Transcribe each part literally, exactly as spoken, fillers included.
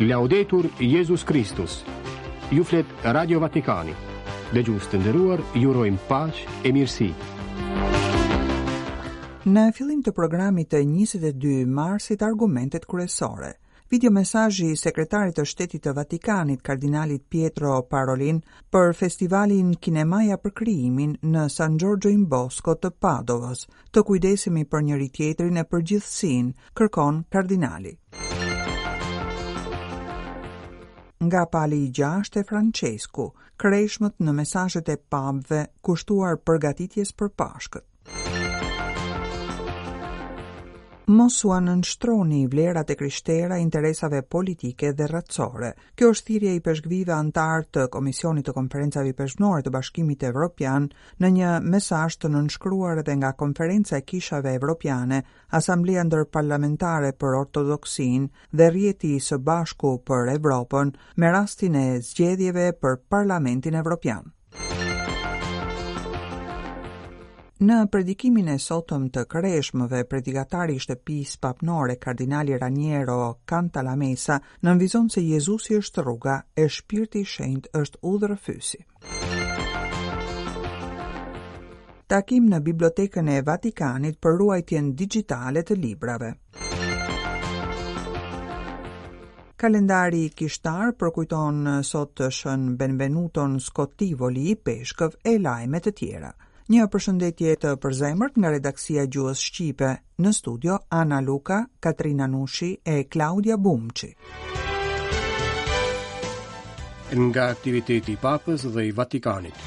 Laudetur Jezus Kristus. Ju flet Radio Vatikani. Dëgjues të nderuar, ju urojmë paqe e mirësi. Në fillim të programit të njëzet e dy marsit, argumentet kryesore. Video mesazhi i sekretarit të shtetit të Vatikanit, kardinalit Pietro Parolin, për festivalin Kinemaja për krijimin në San Giorgio in Bosco të Padovës. Të kujdesemi për njëri tjetrin e për gjithësinë, kërkon kardinali. Nga Pali i gjashtë e Francesku, kreshmët në mesazhet e papëve kushtuar përgatitjes për Pashkët. Mos ua nënshtroni vlerat e krishtera interesave politike dhe racore. Kjo është thirrja e ipeshkvijve antar të Komisionit të Konferencave Ipeshkvnore të Bashkimit Evropian në një mesazh të nënshkruar edhe nga Konferenca e Kishave Evropiane, Asambleja Ndërparlamentare për Ortodoksinë dhe Rrjeti së Bashku për Evropën me rastin e zgjedhjeve për Parlamentin Evropian. Në predikimin e sotëm të kreshmëve, predikatari i shtëpisë papnore, kardinali Raniero Cantalamessa, nënvizon se Jezusi është rruga e Shpirti i Shenjtë është udhërrëfyesi. Takim në Bibliotekën e Vatikanit për ruajtjen digjitale të librave. Kalendari kishtar përkujton sot Shën Benvenuton Scottivoli, ipeshkëv, e lajme të tjera. Një përshëndetje të përzemërt nga redaksia gjuhës shqipe, në studio Ana Luka, Katrina Nushi e Klaudia Bumçi. Nga aktiviteti i Papës dhe i Vatikanit.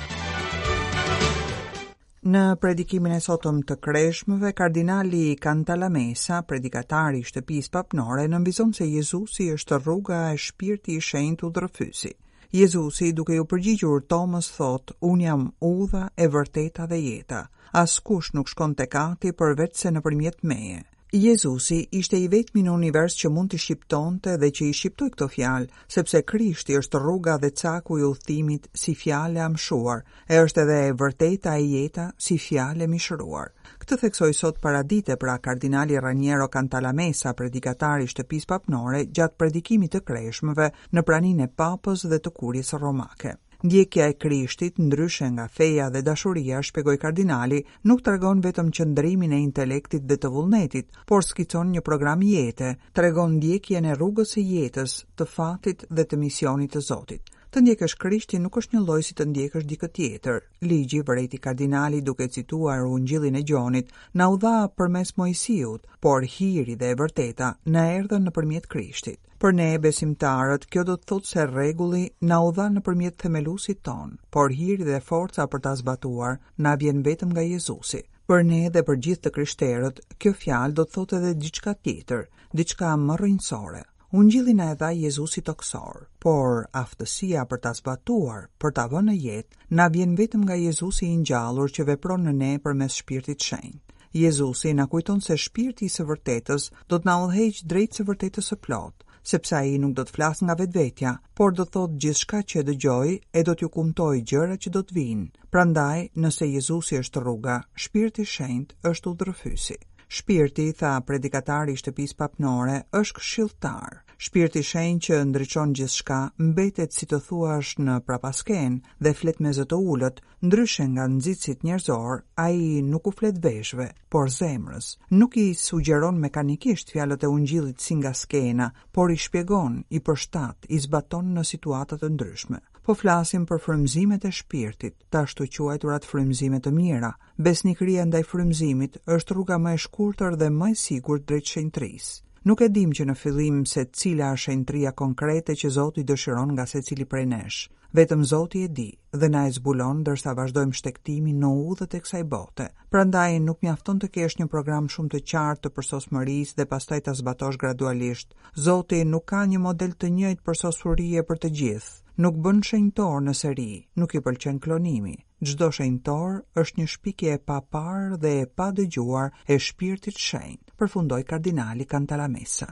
Në predikimin e sotëm të kreshmëve, kardinali Cantalamessa, predikatari i shtëpisë papnore, nënvizon se Jezusi është rruga e Shpirti i Shenjtë udhërrëfyesi. Jezusi, duke iu përgjigjur Tomës, thotë: "Unë jam udha e vërteta dhe jeta. Askush nuk shkon tek Ati përveç se nëpërmjet meje." Jezusi ishte i vetmi në univers që mund të shqiptonte dhe që i shqiptoi këto fjalë, sepse Krishti është rruga dhe caku i udhëtimit si fjalë e amshuar, e është edhe e vërteta e jeta si fjalë e mishëruar. Këtë theksoi sot paradite pra kardinali Raniero Cantalamessa, predikatari i shtëpisë papnore, gjatë predikimit të kreshmëve në praninë e papës dhe të kuries romake. Ndjekja e Krishtit, ndryshe nga feja dhe dashuria, shpjegoi kardinali, nuk tregon vetëm qëndrimin e intelektit dhe të vullnetit, por skicon një program jete, tregon ndjekjen e rrugës së jetës, të fatit dhe të misionit të Zotit. Të ndjekësh Krishtin nuk është një lloj si të ndjekësh dikë tjetër. Ligji, vërejti kardinali duke cituar Ungjillin e Gjonit, na u dha përmes Moisiut, por hiri dhe e vërteta na erdhën nëpërmjet Krishtit. Për ne besimtarët, kjo do të thotë se rregulli na u dha nëpërmjet themeluesit ton, por hiri dhe forca për ta zbatuar na vjen vetëm nga Jezusi. Për ne dhe për gjithë të krishterët, kjo fjalë do të thotë edhe diçka tjetër, diçka më rrënjësore. Ungjilli na e dha Jezusi toksor, por aftësia për ta zbatuar, për ta vënë në jetë, na vjen vetëm nga Jezusi i ngjallur që vepron në ne përmes Shpirtit Shenjt. Jezusi na kujton se Shpirti i së vërtetës do të na udhëheqë drejt së vërtetës së plotë, sepse ai nuk do të flasë nga vetvetja, por do të thotë gjithçka që e dëgjoi e do t'ju kumtojë gjëra që do të vinë. Prandaj, nëse Jezusi është rruga, Shpirti i Shenjtë është udhërrëfyesi. Shpirti, tha predikatari i shtëpisë papnore, është këshilltar. Shpirti i Shenjtë që ndriçon gjithçka, mbetet si të thuash në prapasken dhe flet me zë të ulët, ndryshe nga nxitësit njerëzor, ai nuk u flet veshëve, por zemrës. Nuk i sugjeron mekanikisht fjalët e ungjillit si nga skena, por i shpjegon, i përshtat, i zbaton në situata të ndryshme. Po flasim për frymëzimet e shpirtit, të ashtu quajturat frymëzime të mira. Besnikëria ndaj frymëzimit është rruga më e shkurtër dhe më e sigurt drejt shenjtërisë. Nuk e dim që në fillim se cila është shenjtëria konkrete që Zoti dëshiron nga secili prej nesh. Vetëm Zoti e di dhe na e zbulon ndërsa vazhdojmë shtegtimin në udhët e kësaj bote. Prandaj nuk mjafton të kesh një program shumë të qartë të përsosmërisë dhe pastaj ta zbatosh gradualisht. Zoti nuk ka një model të njëjtë përsosmërie për të gjithë. Nuk bën shenjtor në seri, nuk i pëlqen klonimi. Çdo shenjtor është një shpikje e paparë dhe e padëgjuar e shpirtit shenjt, përfundoi kardinali Cantalamessa.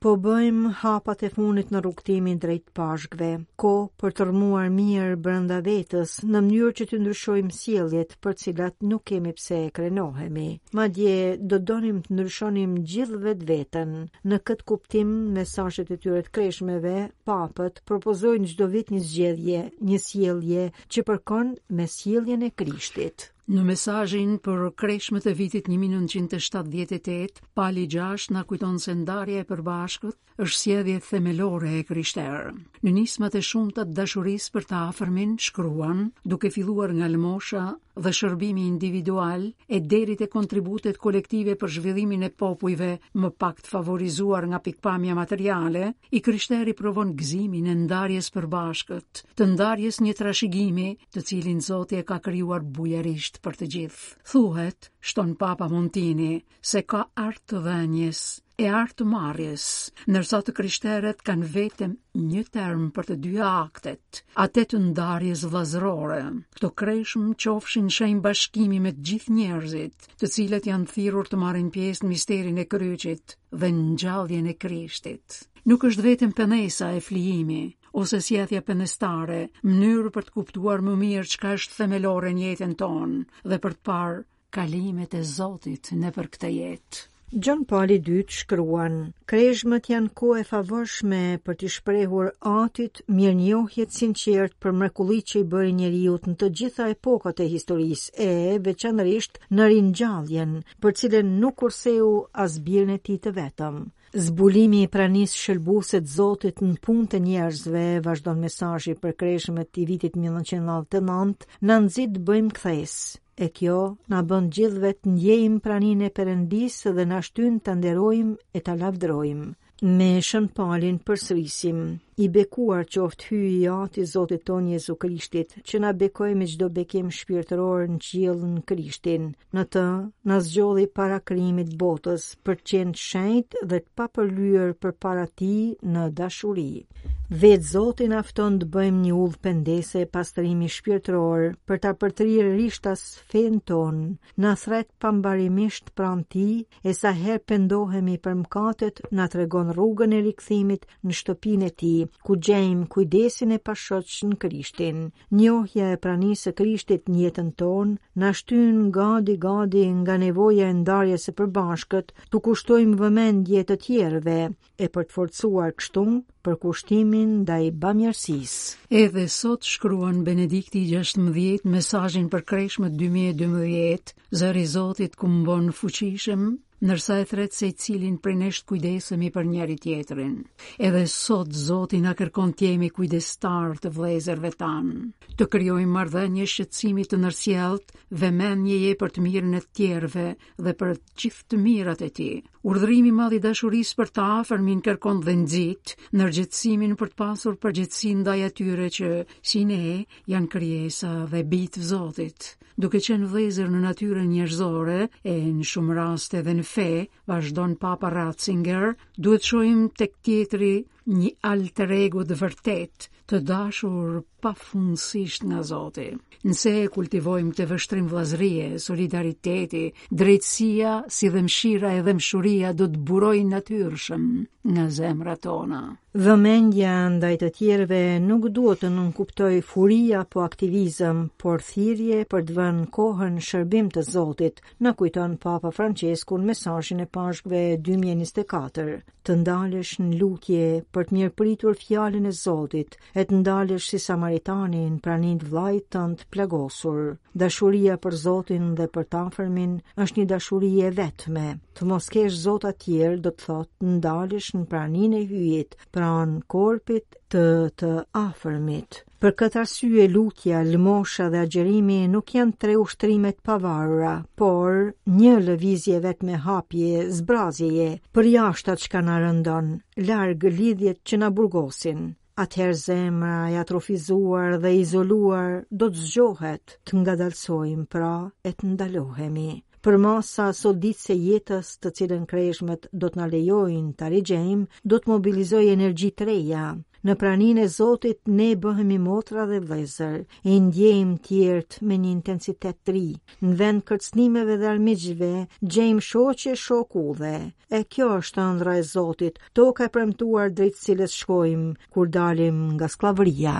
Po bëjmë hapat e fundit në rrugëtimin drejt Pashkëve, kohë për të rrëmuar mirë brenda vetes, në mënyrë që të ndryshojmë sjelljet për cilat nuk kemi pse krenohemi. Madje do donim të ndryshonim gjithë vetveten. Në këtë kuptim, mesazhet e tyre të kreshmeve, papët propozojnë çdo vit një zgjedhje, një sjellje që përkon me sjelljen e Krishtit. Në mesazhin për kreshmët e vitit një mijë e nëntëqind e shtatëdhjetë e tetë, Pali gjashtë na kujton se ndarja e përbashkët është sjellje themelore e krishterë. Në nismat e shumta të dashurisë për të afërmin shkruan, duke filluar nga lëmosha dhe shërbimi individual e deri te kontributet kolektive për zhvillimin e popujve më pak të favorizuar nga pikpamja materiale, i krishteri provon gëzimin e ndarjes përbashkët, të ndarjes një trashëgimi, të cilin Zoti e ka krijuar bujarisht për të gjithë. Thuhet, shton Papa Montini, se ka art të dhënies e art të marrjes, ndërsa të krishterët kanë vetëm një term për të dyja aktet, atë të ndarjes vëllazërore. Këto kreshmë qofshin shenjë bashkimi me të gjithë njerëzit, të cilët janë thirrur të marrin pjesë në misterin e kryqit dhe ngjalljen e Krishtit. Nuk është vetëm penesa e flijimi ose sjellja penestare, mënyrë për të kuptuar më mirë çka është themelore në jetën tonë dhe për të parë kalimet e Zotit nëpër këtë jetë. Gjon Pali i dytë shkruan: Kreshmët janë kohë e favorshme për t'i shprehur Atit mirënjohje të sinqertë për mrekullitë që i bëri njeriu në të gjitha epokat e historisë e veçanërisht në ringjalljen, për cilën nuk kurseu as birin e tij të vetëm. Zbulimi i pranisë shëlbuese të Zotit në punë të njerëzve, vazhdon mesazhi për kreshmët i vitit një mijë e nëntëqind e nëntëdhjetë e nëntë, na nxit të bëjmë kthesë. E kjo na bën gjithëve të ndjejmë praninë e Perëndisë dhe na shtyn ta nderojmë e ta lavdërojmë. Me Shën Palin përsërisim: i bekuar qoftë Hyji i Ati Zotit ton Jezu Krishtit, që na bekoi me çdo bekim shpirtëror në qiell në Krishtin. Në të na zgjodhi para krijimit botës për të qenë të shenjtë dhe të papërlyer përpara tij në dashuri. Vetë Zoti na fton të bëjmë një udhë pendese e pastrimi shpirtëror për ta përtrirë rishtas fenë tonë, na thret pambarimisht pranë tij e sa herë pendohemi për mëkatet, na tregon rrugën e rikthimit në shtëpinë e tij, ku gjejmë kujdesin e pashoq në Krishtin. Njohja e pranisë së Krishtit në jetën tonë na shtyn gadi gadi nga nevoja e ndarjes së përbashkët, t'u kushtojmë vëmendje të tjerëve e për të forcuar kështu përkushtimin ndaj bamirësisë. Edhe sot shkruan Benedikti i gjashtëmbëdhjetë mesazhin për kreshmët dy mijë e dymbëdhjetë, zëri i Zotit kumbon fuqishëm, ndërsa e thret se i cilin prej nesh të kujdesemi për njëri tjetrin. Edhe sot Zoti na kërkon të jemi kujdestar të vëllezërve tanë, të krijojmë marrëdhënie shqetësimi të ndërsjelltë, vëmendjeje për të mirën e të tjerëve dhe për të gjithë të mirat e tij. Urdhërimi i madh i dashurisë për të afërmin kërkon dhe nxit ndërgjegjësimin për të pasur përgjegjësi ndaj atyre që, si ne, janë krijesa dhe bijtë të Zotit. Duke qenë vëllezër në natyrën njerëzore e në shumë raste edhe në fe, vazhdon Papa Ratzinger, duhet shohim tek tjetri një alter ego të vërtet, të dashur pafundësisht nga Zoti. Nëse e kultivojmë këtë vështrim vëllazërie, solidariteti, drejtësia, si dhe mëshira e dhembshuria do të burojnë natyrshëm nga zemrat tona. Vëmendja ndaj të tjerëve nuk duhet të nënkuptojë furi apo aktivizëm, por thirrje për të vënë kohën në shërbim të Zotit, na kujton Papa Francesku në mesazhin e Pashkëve dy mijë e njëzet e katër. Të ndalesh në lutje për të mirëpritur fjalën e Zotit, e të ndalesh si Samaritani në praninë të vllait tënd të plagosur. Dashuria për Zotin dhe për të afërmin është një dashuri e vetme. Të mos kesh zota tjerë do të thotë ndalesh në praninë e Hyjit, pranë korpit të të afërmit. Për këtë arsye lutja, lëmosha dhe agjërimi nuk janë tre ushtrime të pavarura, por një lëvizje vetme hapje, zbrazjeje, përjashta çka na rëndon, larg lidhjet që na burgosin. Atëherë zemra e atrofizuar dhe izoluar do të zgjohet, të ngadalsojmë pra e të ndalohemi. Përmasa soditëse jetës, të cilën kreshmët do të na lejojnë ta rigjejmë, do të mobilizojë energji të reja. Në praninë e Zotit ne bëhemi motra dhe vëllezër, e ndjejmë tjerët me një intensitet të ri. Në vend kërcënimeve dhe armiqve, gjejmë shoqe shok udhe. E kjo është ëndra e Zotit, toka e premtuar drejt cilës shkojmë kur dalim nga skllavëria.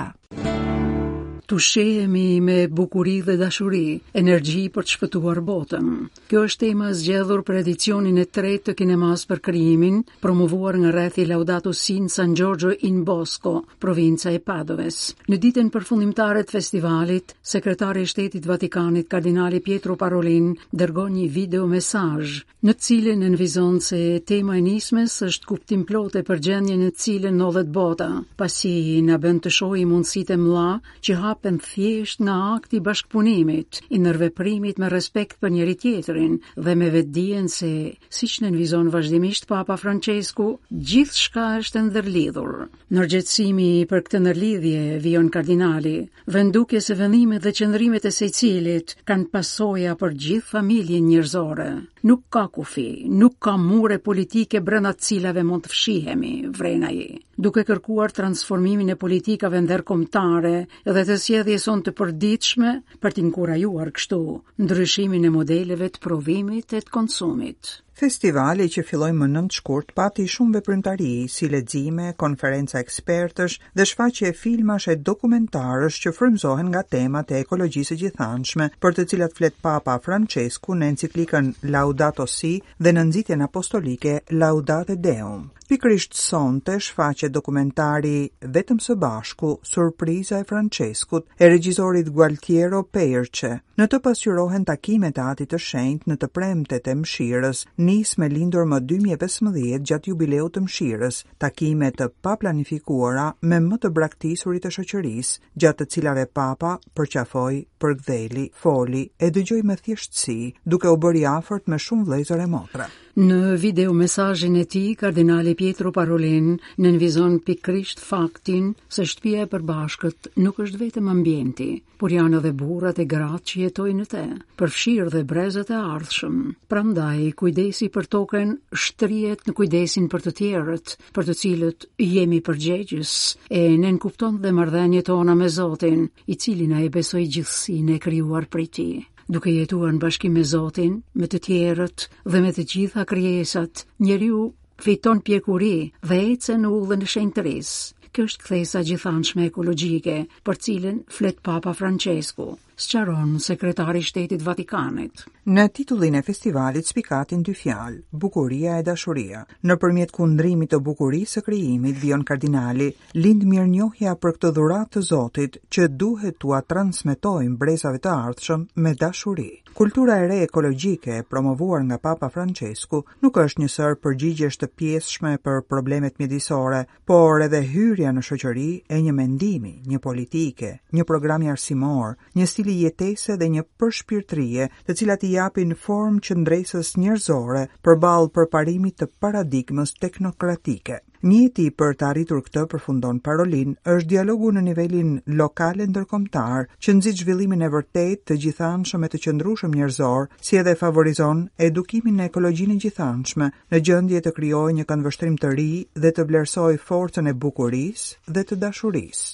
Të ushqehemi me bukuri dhe dashuri, energji për të shpëtuar botën. Kjo është tema e zgjedhur për edicionin e tretë të kinemas për krijimin, promovuar nga rrethi Laudato Si në San Giorgio in Bosco, provinca e Padoves. Në ditën përfundimtare të festivalit, sekretari i Shtetit Vatikanit, kardinali Pietro Parolin, dërgon një video mesazh, në të cilin nënvizon se tema e nismës është kuptimplote për gjendjen në të cilën ndodhet bota, pasi na bën të shohim mundësitë e mëdha që hapen thjesht nga akti i bashkëpunimit, i ndërveprimit me respekt për njëri tjetrin dhe me vetëdijen se, siç nënvizon vazhdimisht Papa Francesku, gjithçka është e ndërlidhur. Ndërgjegjësimi për këtë ndërlidhje, vijon kardinali, vë në dukje se vendimet dhe qëndrimet e secilit kanë pasoja për gjithë familjen njerëzore. Nuk ka kufi, nuk ka mure politike brenda të cilave mund të fshihemi, vren ai, duke kërkuar transformimin e politikave ndërkombëtare dhe të sjelljes sonë të përditshme për të inkurajuar kështu ndryshimin e modeleve të prodhimit e të konsumit. Festivali që filloi më nëntë shkurt pati shumë veprimtari, si lexime, konferenca ekspertësh dhe shfaqje filmash e dokumentarësh që frymëzohen nga temat e ekologjisë së gjithanshme, për të cilat flet Papa Francesku në enciklikën Laudato Si dhe në nxitjen apostolike Laudate Deum. Pikërisht sonte shfaqet dokumentari Vetëm së bashku, Surpriza e Franceskut, e regjisorit Gualtiero Peirce. Në të pasqyrohen takimet e Atit të Shenjtë në të premtet e mëshirës, nismë lindur më dy mijë e pesëmbëdhjetë gjatë jubileut të mëshirës, takime të paplanifikuara me më të braktisurit e shoqërisë, gjatë të cilave Papa përqafoi, përgdheli, foli e dëgjoi me thjeshtësi, duke u bërë i afërt me shumë vëllezër e motra. Në video mesazhin e tij, kardinali Pietro Parolin nënvizon pikërisht faktin se shtëpia e përbashkët nuk është vetëm ambienti, por janë edhe burrat e gratë që jetojnë në të, përfshirë dhe brezat e ardhshëm. Prandaj, kujdesi për tokën shtrihet në kujdesin për të tjerët, për të cilët jemi përgjegjës, e nënkupton dhe marrëdhëniet tona me Zotin, i cili na e besoi gjithësinë e krijuar prej tij. Duke jetuar në bashkim me Zotin, me të tjerët dhe me të gjitha krijesat, njeriu fiton pjekuri dhe ecën në udhën e shenjtërisë. Kjo është kthesa gjithanshme ekologjike, për cilën flet Papa Francesku, sqaron sekretari i Shtetit Vatikanit. Në titullin e festivalit spikatin dy fjalë, bukuria e dashuria. Nëpërmjet kundrimit të bukurisë së krijimit, vijon kardinali, lind mirënjohja për këtë dhuratë të Zotit që duhet t'ua transmetojmë brezave të ardhshëm me dashuri. Kultura e re ekologjike e promovuar nga Papa Francesku nuk është një sërë përgjigjesh të pjesshme për problemet mjedisore, por edhe hyrja në shoqëri e një mendimi, një politike, një programi arsimor, një stili jetese dhe një përshpirtërie, të cilat i japin formë qëndresës njerëzore përballë përparimit të paradigmës teknokratike. Mjeti për të arritur këtë, përfundon Parolin, është dialogu në nivelin lokal e ndërkombëtar, që nxit zhvillimin e vërtetë të gjithanshëm e të qëndrueshëm njerëzor, si edhe favorizon edukimin në ekologjinë e gjithanshme, në gjendje të krijojë një këndvështrim të ri dhe të vlerësojë forcën e bukurisë dhe të dashurisë.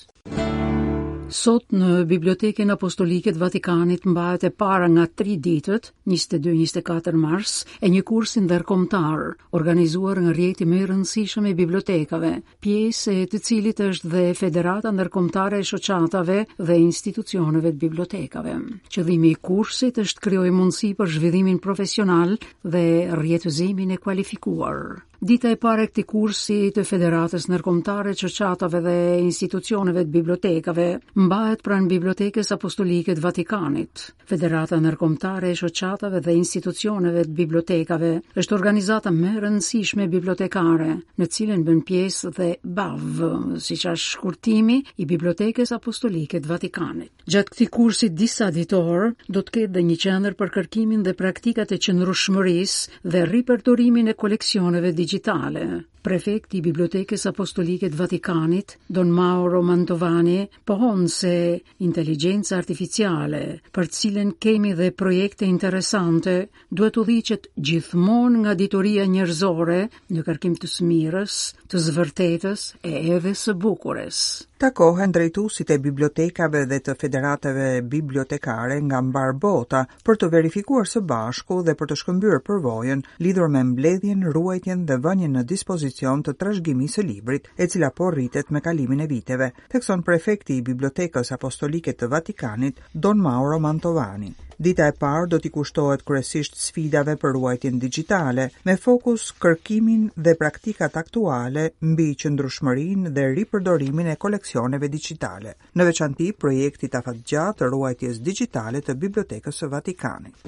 Sot në Bibliotekën Apostolike të Vatikanit mbahet e para nga tri ditët, njëzet e dy njëzet e katër mars, e një kursi ndërkombëtar, organizuar nga rrjeti më i rëndësishëm i bibliotekave, pjesë e të cilit është dhe Federata Ndërkombëtare e Shoqatave dhe Institucioneve të Bibliotekave. Qëllimi i kursit është të krijojë mundësi për zhvillimin profesional dhe rrjetëzimin e kualifikuar. Dita e parë e këtij kursi të Federatës Ndërkombëtare të Shoqatave dhe Institucioneve të Bibliotekave mbahet pranë Bibliotekës Apostolike të Vatikanit. Federata Ndërkombëtare e Shoqatave dhe Institucioneve të Bibliotekave është organizata më e rëndësishme bibliotekare, në cilën bën pjesë dhe B A V, siç është shkurtimi i Bibliotekës Apostolike të Vatikanit. Gjatë këtij kursi disa ditor do të ketë dhe një qendër për kërkimin dhe praktikat e qëndrueshmërisë dhe ripërdorimin e koleksioneve digjitale. digjitale. Prefekti i Bibliotekës Apostolike të Vatikanit, Don Mauro Mantovani, pohon se inteligjenca artificiale, për cilën kemi dhe projekte interesante, duhet të udhëhiqet gjithmonë nga dituria njerëzore në kërkim të së mirës, të së vërtetës e edhe së bukurës. Takohen drejtuesit e bibliotekave dhe të federatave bibliotekare nga mbarë bota për të verifikuar së bashku dhe për të shkëmbyer përvojën lidhur me mbledhjen, ruajtjen dhe vënien në dispozicion të trashëgimisë së librit, e cila po rritet me kalimin e viteve, thekson prefekti i Bibliotekës Apostolike të Vatikanit, Don Mauro Mantovani. Dita e parë do t'i kushtohet kryesisht sfidave për ruajtjen digjitale, me fokus kërkimin dhe praktikat aktuale mbi qëndrueshmërinë dhe ripërdorimin e koleksioneve digjitale. Në veçanti, projektit afatgjatë të ruajtjes digjitale të Bibliotekës së Vatikanit.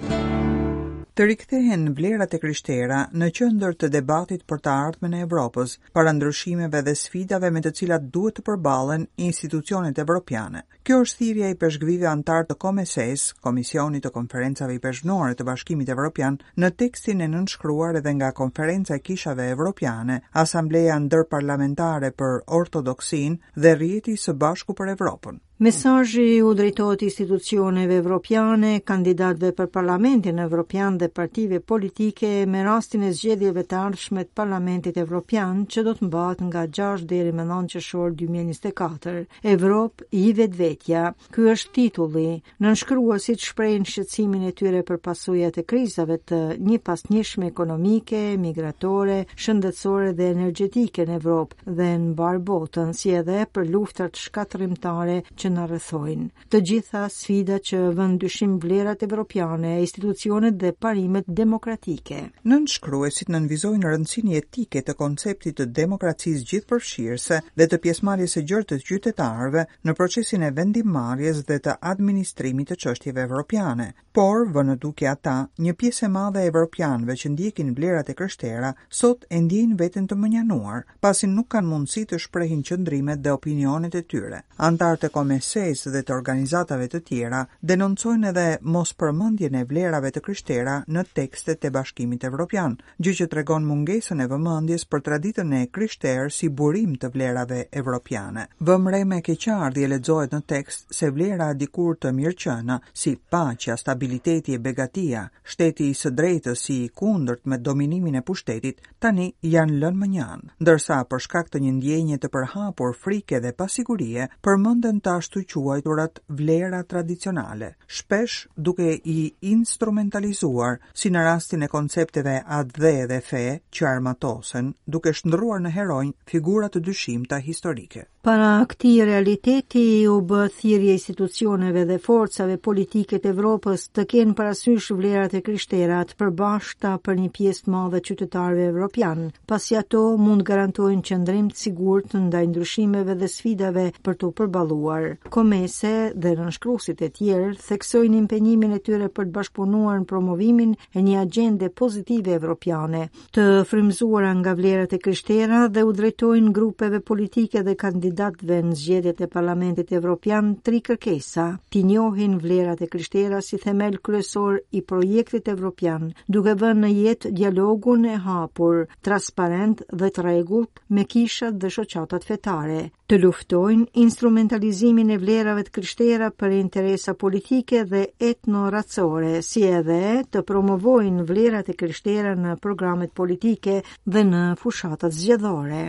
Të rikthehen vlerat e krishtera në qendër të debatit për të ardhmen e Evropës, para ndryshimeve dhe sfidave me të cilat duhet të përballen institucionet evropiane. Kjo është thirrja e ipeshkvijve anëtar të COMECE-s, Komisionit të Konferencave Ipeshkvnore të Bashkimit Evropian, në tekstin e nënshkruar edhe nga Konferenca e Kishave Evropiane, Asambleja Ndërparlamentare për Ortodoksinë dhe Rrjeti së Bashku për Evropën. Mesazhi u drejtohet institucioneve evropiane, kandidatëve për Parlamentin Evropian dhe partive politike me rastin e zgjedhjeve të ardhshme të Parlamentit Evropian që do të mbahet nga gjashtë deri më nëntë qershor dy mijë e njëzet e katër. Evropë i vetvetja. Ky është titulli. Nënshkruasit shprehin shqetësimin e tyre për pasojat e krizave të njëpasnjëshme ekonomike, migratore, shëndetësore dhe energjetike në Evropë dhe në mbarë botën, si edhe për luftrat shkatërrimtare që na rrethojnë. Të gjitha sfida që vënë dyshim vlerat evropiane, institucionet dhe parimet demokratike. Nënshkruesit nënvizojnë rëndësinë jetike të konceptit të demokracisë gjithëpërfshirëse dhe të pjesëmarrjes së gjerë të qytetarëve në procesin e vendimmarrjes dhe të administrimit të çështjeve evropiane. Por, vënë në dukje ata, një pjesë e madhe e evropianëve që ndjekin vlerat e krishtera sot e ndjejnë veten të mënjanuar, pasi nuk kanë mundësi të shprehin qëndrimet dhe opinionet e tyre. Anëtarët e COMECE-s dhe të organizatave të tjera denoncojnë edhe mospërmendjen e vlerave të krishtera në tekstet e Bashkimit Evropian, gjë që tregon mungesën e vëmendjes për traditën e krishterë si burim të vlerave evropiane. Vëmë re me keqardhje lexohet në tekst se vlera dikur të mirëqena, si paqja, stabiliteti e begatia, shteti i së drejtës si i kundërt me dominimin e pushtetit, tani janë lënë më njanë, ndërsa për shkak të një ndjenje të përhapur frike dhe pasigurie, përmenden të ashtu quajturat vlera tradicionale, shpesh duke i instrumentalizuar, si në rastin e koncepteve atdhe dhe fe që armatosen, duke shndërruar në heronj figura të dyshimta historike. Para këtij realiteti u bë thirrje institucioneve dhe forcave politike të Evropës të kenë parasysh vlerat e krishtera të përbashkëta për një pjesë të madhe qytetarëve evropian, pasi ato mund garantojnë qëndrim të sigurt ndaj ndryshimeve dhe sfidave për t'u përballuar. COMECE dhe nënshkruesit e tjerë theksojnë impenjimin e tyre për të bashkëpunuar në promovimin e një agjende pozitive evropiane, të frymëzuara nga vlerat e krishtera dhe u drejtojnë grupeve politike dhe kandidatëve në zgjedhjet e Parlamentit Evropian tri kërkesa: t'i njohin vlerat e krishtera si themel kryesor i projektit evropian, duke vënë në jetë dialogun e hapur, transparent dhe të rregullt me kishat dhe shoqatat fetare, të luftojnë instrumentalizimin e vlerave të krishtera për interesa politike dhe etnoracore, si edhe të promovojnë vlerat e krishtera në programet politike dhe në fushatat zgjedhore.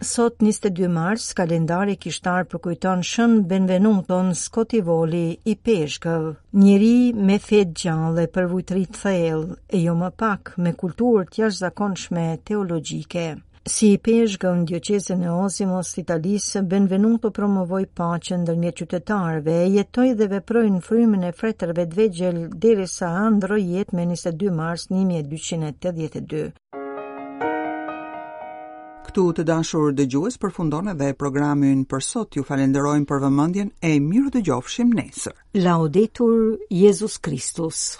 Sot njëzet e dy mars, kalendari kishtar përkujton Shën Benvenuton Scotivoli i Peshkëv, njeri me fe të gjallë e përvujtëri të thellë, e jo më pak me kulturë të jashtëzakonshme teologjike. Si ipeshkëv në dioqezën e Osimos të Italisë, Benvenuto promovoi paqen ndërmjet qytetarëve, jetoi dhe veproi në frymën e fretërve të vegjël derisa ndërroi jetë me njëzet e dy mars një mijë e dyqind e tetëdhjetë e dy. Këtu të dashur dëgjues përfundon edhe programi ynë për sot. Ju falenderojmë për vëmendjen e mirë dëgjofshim nesër. Laudetur Jezus Christus.